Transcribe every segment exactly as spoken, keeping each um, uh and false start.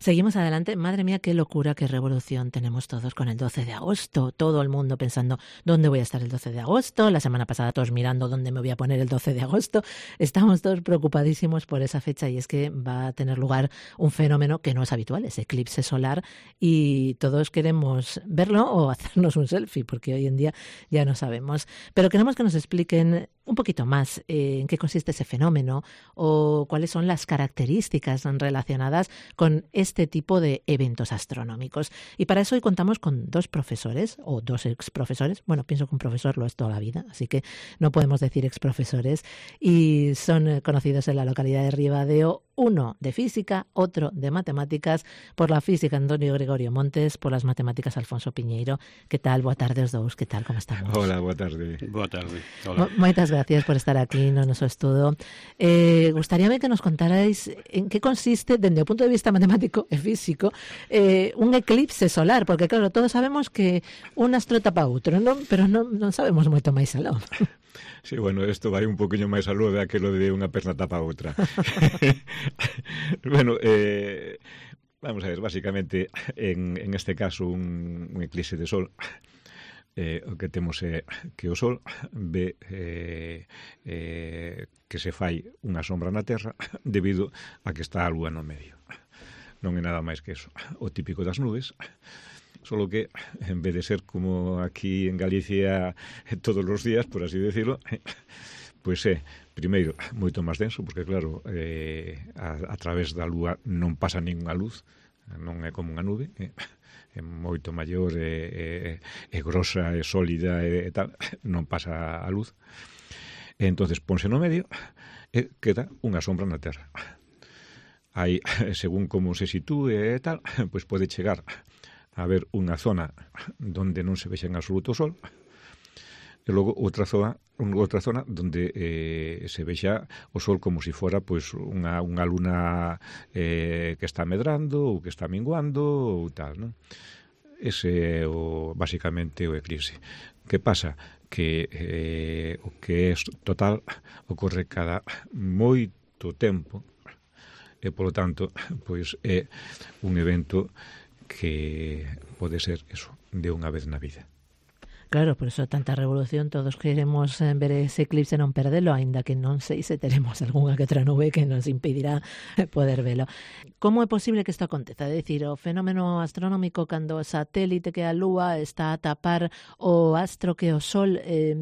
Seguimos adelante. Madre mía, qué locura, qué revolución tenemos todos con el doce de agosto. Todo el mundo pensando dónde voy a estar el doce de agosto. La semana pasada todos mirando dónde me voy a poner el doce de agosto. Estamos todos preocupadísimos por esa fecha y es que va a tener lugar un fenómeno que no es habitual, ese eclipse solar, y todos queremos verlo o hacernos un selfie porque hoy en día ya no sabemos. Pero queremos que nos expliquen un poquito más eh, en qué consiste ese fenómeno o cuáles son las características relacionadas con este tipo de eventos astronómicos. Y para eso hoy contamos con dos profesores o dos exprofesores. Bueno, pienso que un profesor lo es toda la vida, así que no podemos decir exprofesores. Y son conocidos en la localidad de Ribadeo, uno de física, otro de matemáticas. Por la física, Antonio Gregorio Montes; por las matemáticas, Alfonso Piñeiro. Que tal? Boa tarde os dous. Que tal? Como estamos? Hola, boa tarde. Boa tarde. Hola. Moitas gracias por estar aquí no noso estudo. Eh, gustaríame que nos contarais en que consiste, dende o punto de vista matemático e físico, eh, un eclipse solar, porque claro, todos sabemos que un astro tapa outro, non? Pero non, non sabemos moito máis aló. Sí, bueno, isto vai un poquinho máis aló de aquilo de unha perna tapa a outra. Bueno, eh, vamos a ver, básicamente, en, en este caso, un, un eclipse de sol, eh, o que temos é que o sol ve eh, eh, que se fai unha sombra na Terra debido a que está a lúa no medio. Non é nada máis que eso, o típico das nubes, solo que en vez de ser como aquí en Galicia todos os días, por así decirlo, pois é, primeiro, moito máis denso, porque claro, eh, a, a través da lúa non pasa ninguna luz, non é como unha nube, eh, é moito maior, é, é, é grosa, é sólida e, e tal, non pasa a luz. E entonces ponse no medio e queda unha sombra na Terra. Aí, según como se sitúe e tal, pois pode chegar a ver unha zona donde non se vexa en absoluto o sol, e logo outra zona, outra zona donde eh, se vexa o sol como se si fora pois unha, unha luna eh, que está medrando ou que está minguando ou tal, non? Ese é o, basicamente o eclipse. Que pasa? Que eh, o que é total ocorre cada moito tempo e, polo tanto, pois é un evento que pode ser eso, de unha vez na vida. Claro, por eso tanta revolución, todos queremos ver ese eclipse e non perdelo, aínda que non sei se teremos algunha que outra nube que nos impedirá poder velo. Como é posible que isto aconteza? É dicir, o fenómeno astronómico cando o satélite que a lúa está a tapar o astro que o sol, eh,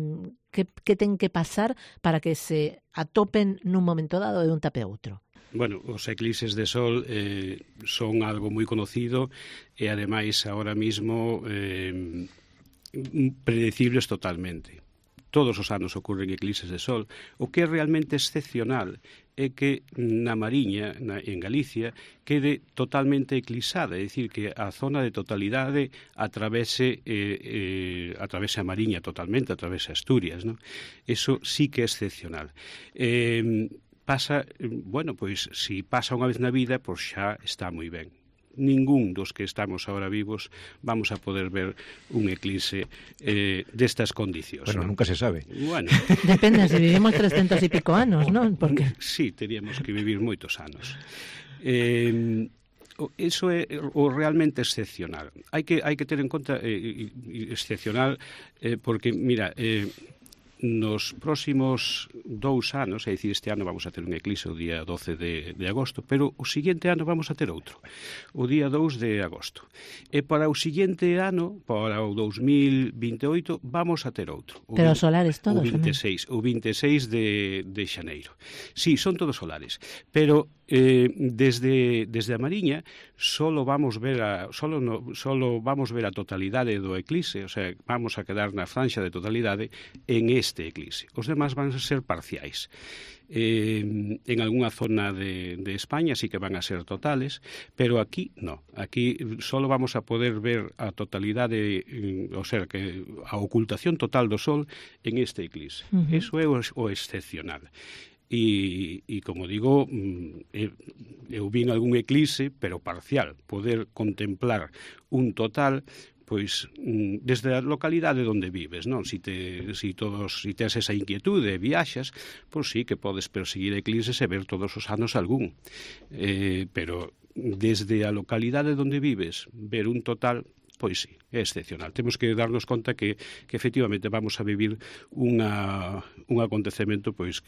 que, que ten que pasar para que se atopen nun momento dado de un tape a outro? Bueno, os eclipses de sol eh, son algo moi conocido e, ademais, ahora mismo eh, predecibles totalmente. Todos os anos ocorren eclipses de sol. O que é realmente excepcional é que na Mariña, na, en Galicia, quede totalmente eclipsada, é dicir, que a zona de totalidade atravese, eh, eh, atravese a Mariña totalmente, atravese Asturias, non? Eso sí que é excepcional. Eh, pasa, bueno, pois, si pasa unha vez na vida, pois xa está moi ben. Ningún dos que estamos ahora vivos vamos a poder ver un eclipse eh, destas condicións. Bueno, ¿no? Nunca se sabe. Bueno. Depende, se vivimos trescentos e pico anos, non? Porque... Sí, teríamos que vivir moitos anos. Eh, Eso é o realmente excepcional. Hai que, hai que ter en conta eh, excepcional eh, porque, mira, eh, nos próximos dous anos, é dicir, este ano vamos a ter un eclipse o día doce de, de agosto, pero o seguinte ano vamos a ter outro, o día dous de agosto. E para o seguinte ano, para o dous mil vinte e oito, vamos a ter outro. O pero solares todos, o vinte e seis, o vinte e seis de, de xaneiro. Sí, son todos solares, pero eh, desde, desde a Mariña solo vamos ver a solo, no, solo vamos ver a totalidade do eclipse, o sea, vamos a quedar na franxa de totalidade en este eclipse. Os demás van a ser parciais. Eh, en algunha zona de, de España sí que van a ser totales, pero aquí no. Aquí solo vamos a poder ver a totalidade, o sea, que a ocultación total do Sol en este eclipse. Uh-huh. Eso é o, o excepcional. E, e como digo, eu vin algún eclipse, pero parcial, poder contemplar un total, pois desde a localidade onde vives, non? Si te si todos si tes esa inquietude e viaxas, pois sí que podes perseguir eclipses e ver todos os anos algún. Eh, pero desde a localidade onde vives, ver un total, pois sí, é excepcional. Temos que darnos conta que, que efectivamente vamos a vivir unha, un acontecemento pois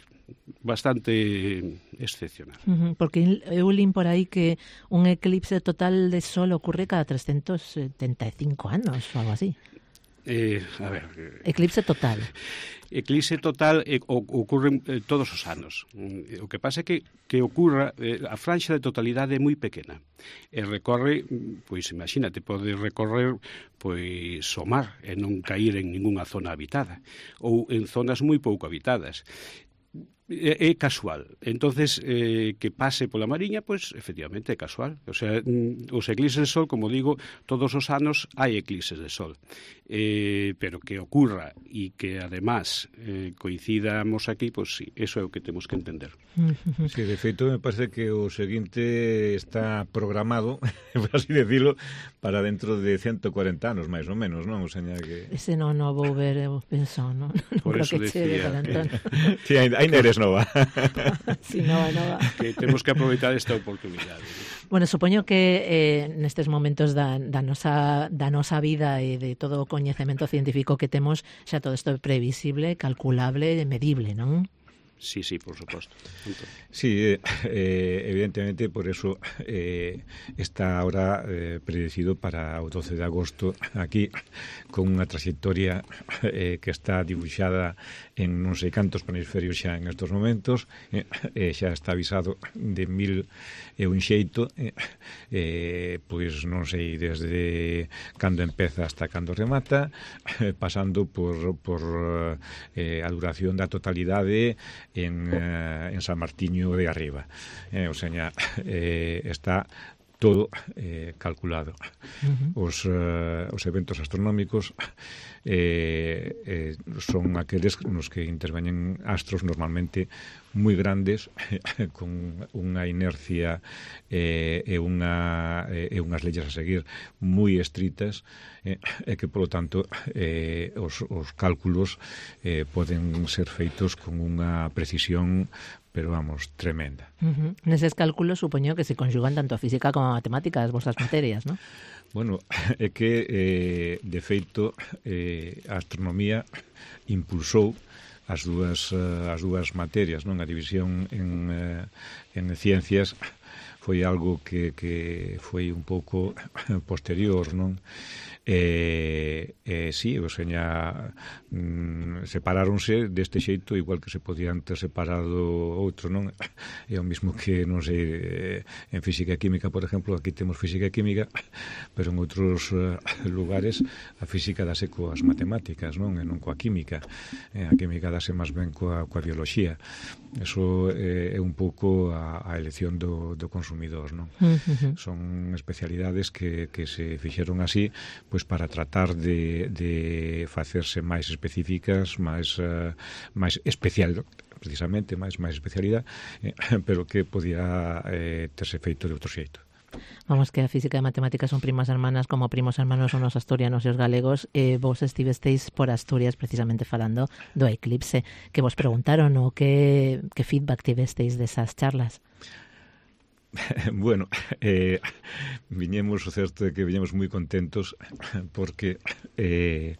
bastante excepcional. Uh-huh, porque eu lin por aí que un eclipse total de sol ocurre cada trescentos setenta e cinco anos ou algo así. Eh, a ver, eclipse total. Eclipse total eh, ocurre eh, todos os anos. O que pasa é que, que ocurra, eh, a franxa de totalidade é moi pequena. E recorre, pois imagínate, pode recorrer pois o mar e non cair en ningunha zona habitada ou en zonas moi pouco habitadas. É, é casual. Entonces, eh, que pase pola Mariña, pois, efectivamente, é casual. O sea, os eclipses de sol, como digo, todos os anos hai eclipses de sol. Eh, pero que ocurra e que, además, eh, coincidamos aquí, pois sí, eso é o que temos que entender. Sí, de feito, me parece que o seguinte está programado, por así decirlo, para dentro de ciento cuarenta anos, máis ou menos, non? O seña que... Ese non o vou ver, eu penso, non? Por non eso creo que chegue decía... para entón. Sí, ainda eres nova. Sí, nova, nova. Que temos que aproveitar esta oportunidade. Bueno, supoño que eh, nestes momentos da, da, nosa, da nosa vida e de todo o coñecemento científico que temos, xa todo isto é previsible, calculable e medible, non? Sí, sí, por suposto. Sí, eh, evidentemente, por eso eh, está ahora eh, predecido para o doce de agosto aquí, con unha trayectoria eh, que está dibuixada en non sei cantos planisferios xa en estos momentos, eh, eh, xa está avisado de mil e un xeito, eh, eh, pois non sei desde cando empeza hasta cando remata, eh, pasando por, por eh, a duración da totalidade en, eh, en San Martiño de Arriba. Eh, o sea, eh, está todo eh, calculado. Uh-huh. Os, uh, os eventos astronómicos eh, eh, son aqueles nos que interveñen astros normalmente moi grandes, con unha inercia eh, e, unha, e unhas leyes a seguir moi estritas, eh, e que, polo tanto, eh, os, os cálculos eh, poden ser feitos con unha precisión, pero, vamos, tremenda. Uh-huh. Neses cálculos, supoño que se conxugan tanto a física como a matemática, as vosas materias, non? Bueno, é que, eh, de feito, eh, a astronomía impulsou as dúas, uh, as dúas materias, non? A división en, uh, en ciencias foi algo que, que foi un pouco posterior, non? E, e sí, o seña, mm, separáronse deste xeito igual que se podían ter separado outro, non? É o mismo que, non sei, en física e química, por exemplo, aquí temos física e química, pero en outros uh, lugares a física dase coas matemáticas, non? E non coa química. E a química dase máis ben coa, coa bioloxía. Eso eh, é un pouco a, a elección do, do consumidor, non? Uh-huh. Son especialidades que, que se fixeron así, pois para tratar de, de facerse máis específicas, máis, uh, máis especial, precisamente, máis, máis especialidade, eh, pero que podía eh, terse feito de outro xeito. Vamos, que a física e a matemática son primas hermanas, como primos hermanos son os asturianos e os galegos, e vos estivesteis por Asturias precisamente falando do eclipse, que vos preguntaron o que, que feedback tivesteis desas charlas? Bueno, eh, viñemos, o certo é que viñemos moi contentos porque eh,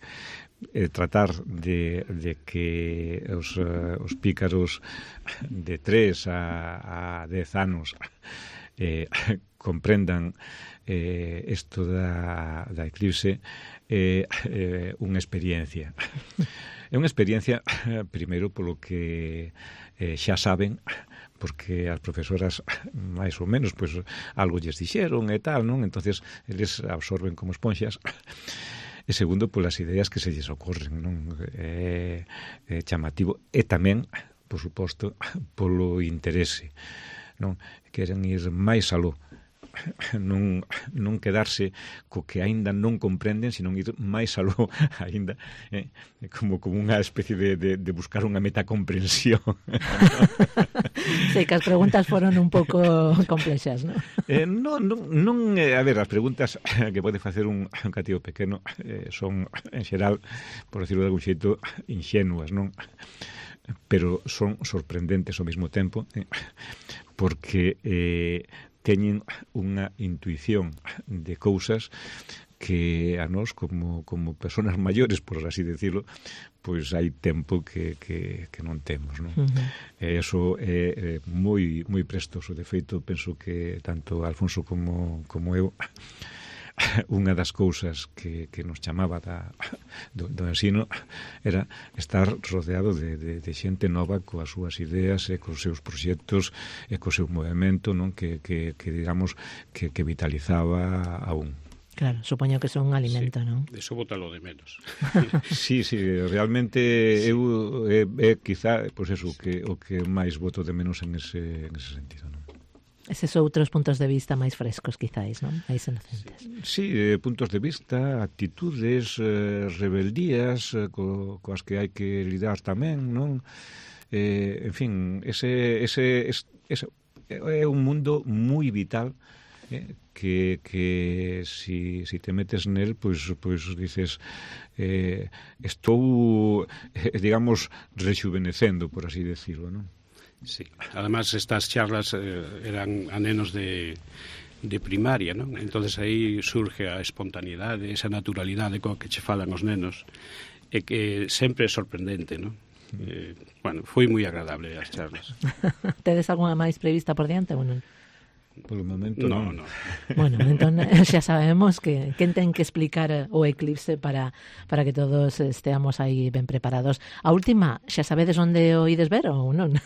eh, tratar de, de que os, uh, os pícaros de tres a, a dez anos eh, comprendan eh, isto da, da eclipse é eh, unha experiencia. É unha experiencia, primeiro, polo que eh, xa saben, porque as profesoras máis ou menos pois algo lles dixeron e tal, non? Entonces eles absorben como esponxas. E segundo, polas ideas que se lles ocorren, non? É, é chamativo e tamén, por suposto, polo interese, non? Queren ir máis aló, non, non quedarse co que aínda non comprenden, sino ir máis aló aínda, eh? como, como unha especie de, de, de buscar unha metacomprensión. Sei que as preguntas foron un pouco complexas, non? Eh, non, non, non eh, a ver, as preguntas que pode facer un, un cativo pequeno eh, son, en xeral, por decirlo de algún xeito, inxenuas, non? Pero son sorprendentes ao mesmo tempo, eh, porque eh, teñen unha intuición de cousas que a nós, como, como personas maiores, por así decirlo, pois hai tempo que, que, que non temos, non? Uh-huh. E iso é, é moi, moi prestoso. De feito, penso que tanto Alfonso como, como eu, unha das cousas que, que nos chamaba da, do, do ensino era estar rodeado de, de, de xente nova coas súas ideas e cos seus proxectos e co seu movimento, non? Que, que, que digamos, que, que vitalizaba a un. Claro, supoño que son un alimento, sí, non? Eso bótalo de menos. Sí, sí, realmente sí. eu é, é quizá, pois eso, que, o que máis voto de menos en ese, en ese sentido, non? Eses outros puntos de vista máis frescos, quizáis, non? Máis inocentes. Sí, eh, puntos de vista, actitudes, eh, rebeldías, eh, co, coas que hai que lidar tamén, non? Eh, en fin, ese, ese, ese, ese é un mundo moi vital, eh, que, que si, si te metes nel, pois, pois dices, eh, estou, eh, digamos, rexuvenecendo, por así decirlo, non? Sí, además estas charlas eh, eran a nenos de, de primaria, non? Entonces aí surge a espontaneidade, esa naturalidade coa que che falan os nenos, e que sempre é sorprendente, non? Eh, bueno, foi moi agradable as charlas. Tedes algunha máis prevista por diante ou non? Polo momento no, non. no. Bueno, entón xa sabemos que quen ten que explicar o eclipse para para que todos esteamos aí ben preparados. A última, xa sabedes onde o ides ver ou non?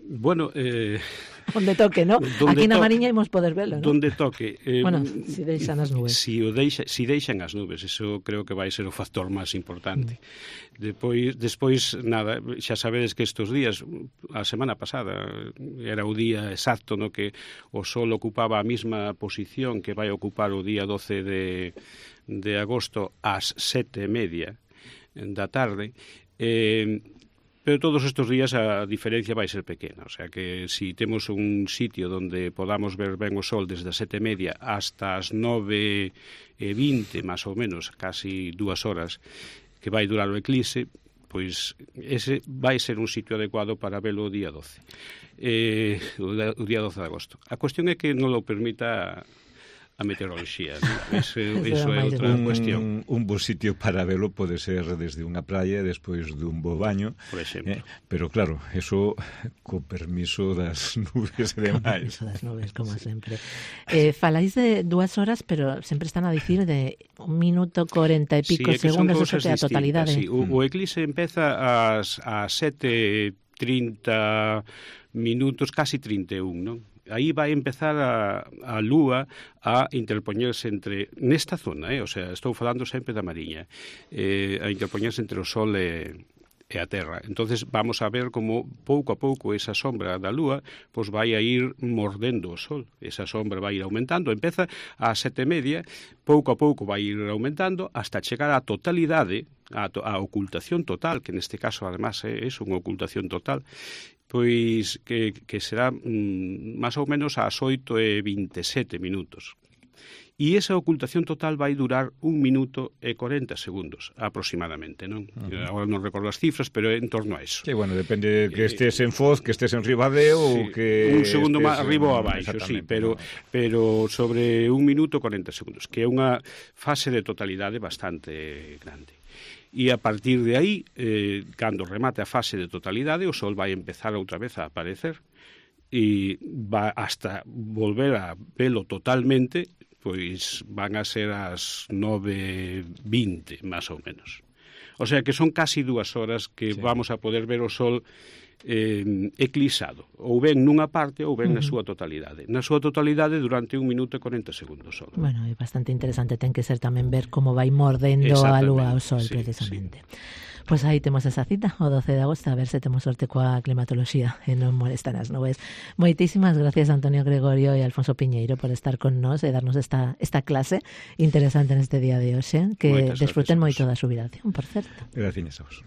Bueno, eh... onde toque, ¿no? Aquí na Mariña imos poder velo, ¿no? Donde toque. Eh, bueno, si deixan as nubes. Si, o deixa, si deixan as nubes, eso creo que vai ser o factor máis importante. Mm. Depois, despois, nada, xa sabedes que estes días, a semana pasada, era o día exacto no que o sol ocupaba a mesma posición que vai ocupar o día doce de, de agosto ás sete e media da tarde. Eh, Pero todos estes días a diferencia vai ser pequena, o sea que si temos un sitio onde podamos ver ben o sol desde as sete e media hasta as nove e vinte, máis ou menos, casi dúas horas, que vai durar o eclipse, pois ese vai ser un sitio adecuado para velo o día doce, eh, o día doce de agosto. A cuestión é que non lo permita a meteoroloxía, ¿no? Eso, eso é outra un, cuestión. Un bo sitio para velo pode ser desde unha praia despois dun bo baño, por exemplo. Eh, pero claro, eso co permiso das nubes e demais. Co permiso das nubes, como sempre. Eh, faláis de dúas horas, pero sempre están a dicir de un minuto corenta e pico sí, segundos, eso que a totalidade. Sí. O, o eclipse empeza ás, ás sete trinta minutos, casi trinta e un, non? Aí vai empezar a, a lúa a interpoñerse entre, nesta zona, eh? O sea, estou falando sempre da Mariña, eh, a interpoñerse entre o Sol e, e a Terra. Entonces vamos a ver como pouco a pouco esa sombra da lúa pois vai a ir mordendo o Sol. Esa sombra vai ir aumentando, empeza a sete e media, pouco a pouco vai ir aumentando hasta chegar á totalidade, a, a ocultación total, que neste caso además é, é unha ocultación total, pois que, que será mm, máis ou menos ás oito e vinte e sete minutos. E esa ocultación total vai durar un minuto e corenta segundos, aproximadamente, non? Uh-huh. Agora non recordo as cifras, pero é en torno a eso. Sí, bueno, depende que estés en Foz, que estés en Ribadeo sí, ou que... Un segundo máis en... arriba ou abaixo, sí, pero, pero sobre un minuto e corenta segundos, que é unha fase de totalidade bastante grande. E a partir de aí, eh, cando remate a fase de totalidade, o Sol vai empezar outra vez a aparecer e va hasta volver a velo totalmente, pois van a ser as nove e vinte, máis ou menos. O sea que son casi dúas horas que sí. vamos a poder ver o Sol eh, eclipsado, ou ben nunha parte ou ben uh-huh. na súa totalidade. Na súa totalidade durante un minuto e corenta segundos só. Bueno, é bastante interesante, ten que ser tamén ver como vai mordendo a lúa ao Sol, sí, precisamente. Sí. Pois aí temos esa cita, o doce de agosto, a ver se temos sorte coa climatoloxía e non molestan as nubes. Moitísimas gracias Antonio Gregorio e Alfonso Piñeiro por estar con nós e darnos esta, esta clase interesante neste día de hoxe, que Moitas desfruten moito da xubilación, por certo. Gracias a vos.